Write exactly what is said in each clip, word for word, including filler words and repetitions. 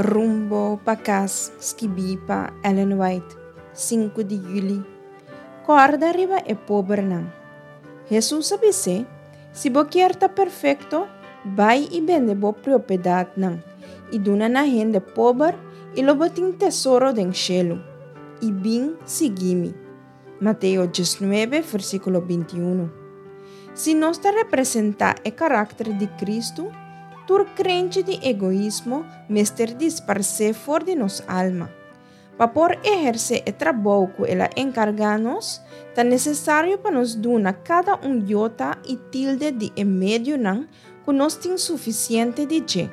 Rumbo pa kas, skibí pa Ellen White, sinku di yüli. Kòrda riba e pobernan. Hesus a bis'é, Si bo kier ta perfekto, bai i bende bo propiedatnan, i duna na hende pober, i lo bo tin tesoro den shelu. I bin sigui mi. Mateo diesnuebe, versíkulo binti i un. Si nos ta representá e karakter di Kristu, tur krenchi di egoismo mester disparsé for di nos alma. Pa por ehersé e trabou ku el a enkargá nos, ta nesesario pa nos duna kada un yota i tilde di e medionan ku nos tin sufisiente di dje.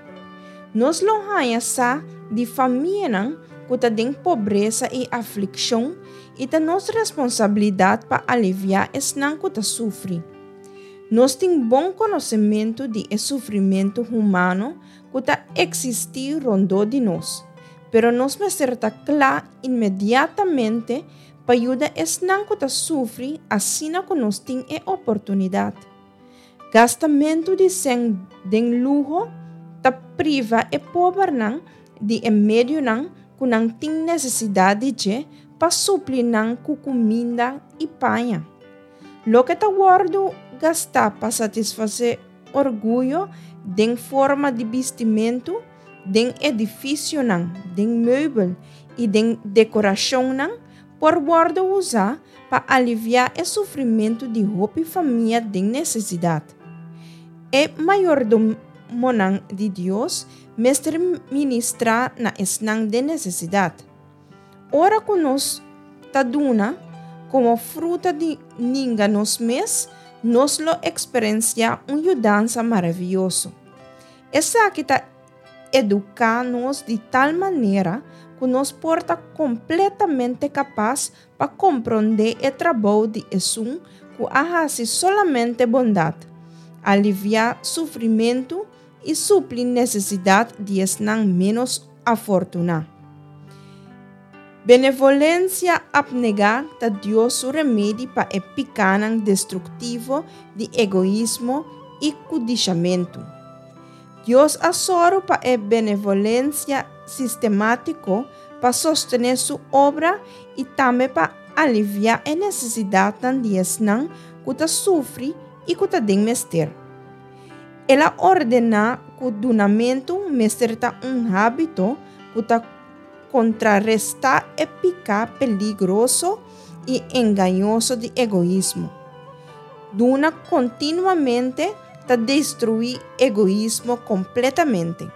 Nos lo haña sa di famianan ku ta den pobresa i aflikshon i ta nos responsabilidat pa aliviá esnan ku ta sufri. Nos tin bon konosementu di e sufrimentu humano ku ta eksistí rondó di nos, pero nos mester ta kla inmediatamente pa yuda esnan ku ta sufri asina ku nos tin e oportunidat. Gastamentu di sèn den luho ta priva e pobernan di e medionan ku nan tin nesesidat di dje pa supli nan ku kuminda i paña. Loke ta wòrdu gastá pa satisfasé orguyo den forma di bistimentu, den edifisionan, den meubel i den dekorashonnan por wòrdu usá pa aliviá e sufrimentu di hopi famia den nesesidat. E mayordomonan di Dios mester ministrá na esnan den nesesidat. Ora ku nos ta duna, komo fruta di ninga nos mes, nos lo eksperensiá un yudansa maravioso. Esaki ta eduká nos di tal manera ku nos por ta kompletamente kapas pa komprondé e trabou di Esun ku a hasi solamente bondat, aliviá sufrimentu i supli nesesidat di esnan ménos afortuná. Benevolensia apnegá ta Dios su remedi pa e pikánan destruktivo di egoismo i kudishamentu. Dios a sòru pa e benevolensia sistemátiko pa sostené su obra i tambe pa aliviá e nesesidatnan di esnan ku ta sufri i ku ta den mester. El a ordená ku dunamentu mester ta un hábito ku ta kontrarestá e piká peligroso i engañoso di egoismo. Duna kontinuamente ta destruí egoismo kompletamente.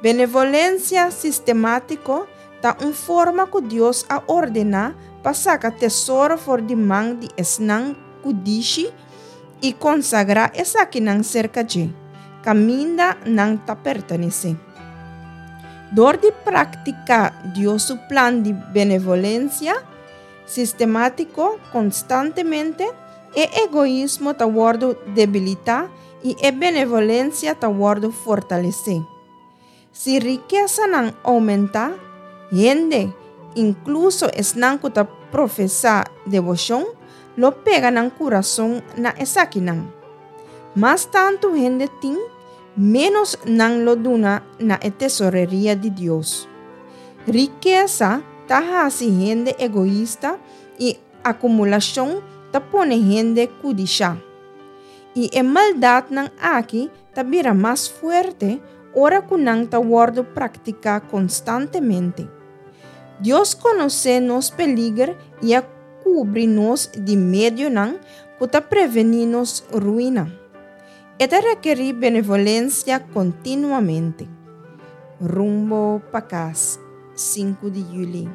Benevolensia sistemátiko ta un forma ku Dios a ordená pa saka tesoro for di man di esnan kudishi i konsagrá esakinan serka dje, kaminda nan ta pertenesé. Dor di praktiká Dios su plan di benevolensia sistemátiko konstantemente, e egoismo ta wòrdu debilitá i e benevolensia ta wòrdu fortalesé. Si rikesanan oumentá, hende, inkluso esnan ku ta profesá deboshon, lo pega nan kurason na esakinan. Mas tantu hende tin, ménos nan lo duna na e tesoreria di Dios. Rikesa ta hasi hende egoista i akumulashon ta pone hende kudishá. I e maldatnan aki ta bira mas fuerte ora ku nan ta wòrdu praktiká konstantemente. Dios konosé nos peliger i a kubri nos di medionan ku ta prevení nos ruina. E ta rekerí benevolensia kontinuamente. Rumbo pa kas, sinku di yüli.